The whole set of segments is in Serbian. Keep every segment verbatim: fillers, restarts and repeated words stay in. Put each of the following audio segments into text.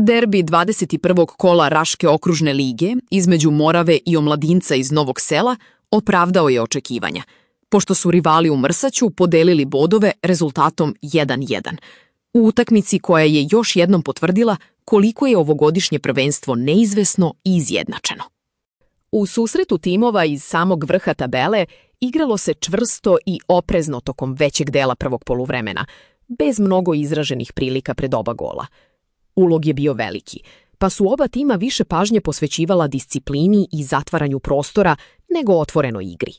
Derbi dvadeset prvog kola Raške okružne lige između Morave i Omladinca iz Novog Sela opravdao je očekivanja, pošto su rivali u Mrsaću podelili bodove rezultatom jedan jedan. U utakmici koja je još jednom potvrdila koliko je ovogodišnje prvenstvo neizvesno i izjednačeno. U susretu timova iz samog vrha tabele igralo se čvrsto i oprezno tokom većeg dela prvog poluvremena, bez mnogo izraženih prilika pred oba gola. Ulog je bio veliki, pa su oba tima više pažnje posvećivala disciplini i zatvaranju prostora nego otvorenoj igri.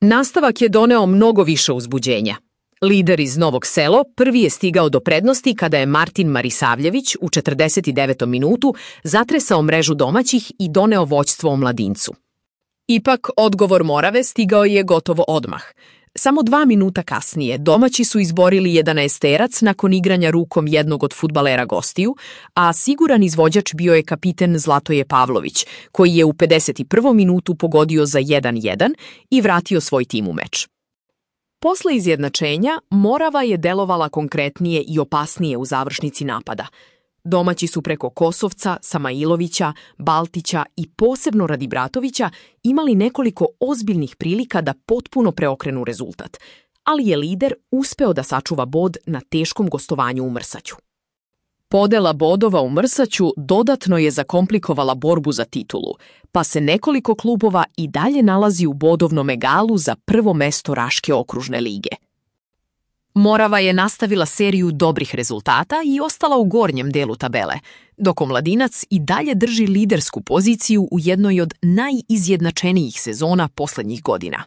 Nastavak je doneo mnogo više uzbuđenja. Lider iz Novog Selo prvi je stigao do prednosti kada je Martin Marisavljević u četrdeset devetom minutu zatresao mrežu domaćih i doneo vođstvo Omladincu. Ipak, odgovor Morave stigao je gotovo odmah. Samo dva minuta kasnije domaći su izborili jedanaesterac nakon igranja rukom jednog od fudbalera gostiju, a siguran izvođač bio je kapiten Zlatoje Pavlović, koji je u pedeset prvom minutu pogodio za jedan jedan i vratio svoj tim u meč. Posle izjednačenja, Morava je delovala konkretnije i opasnije u završnici napada. Domaći su preko Kosovca, Samailovića, Baltića i posebno Radibratovića imali nekoliko ozbiljnih prilika da potpuno preokrenu rezultat, ali je lider uspeo da sačuva bod na teškom gostovanju u Mrsaću. Podela bodova u Mrsaću dodatno je zakomplikovala borbu za titulu, pa se nekoliko klubova i dalje nalazi u bodovnom egalu za prvo mesto Raške okružne lige. Morava je nastavila seriju dobrih rezultata i ostala u gornjem delu tabele, dok Omladinac i dalje drži lidersku poziciju u jednoj od najizjednačenijih sezona poslednjih godina.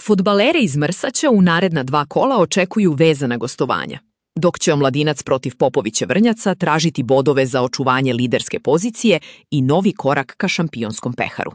Fudbalere iz Mrsaća u naredna dva kola očekuju vezana gostovanja, dok će Omladinac protiv Popoviće Vrnjaca tražiti bodove za očuvanje liderske pozicije i novi korak ka šampionskom peharu.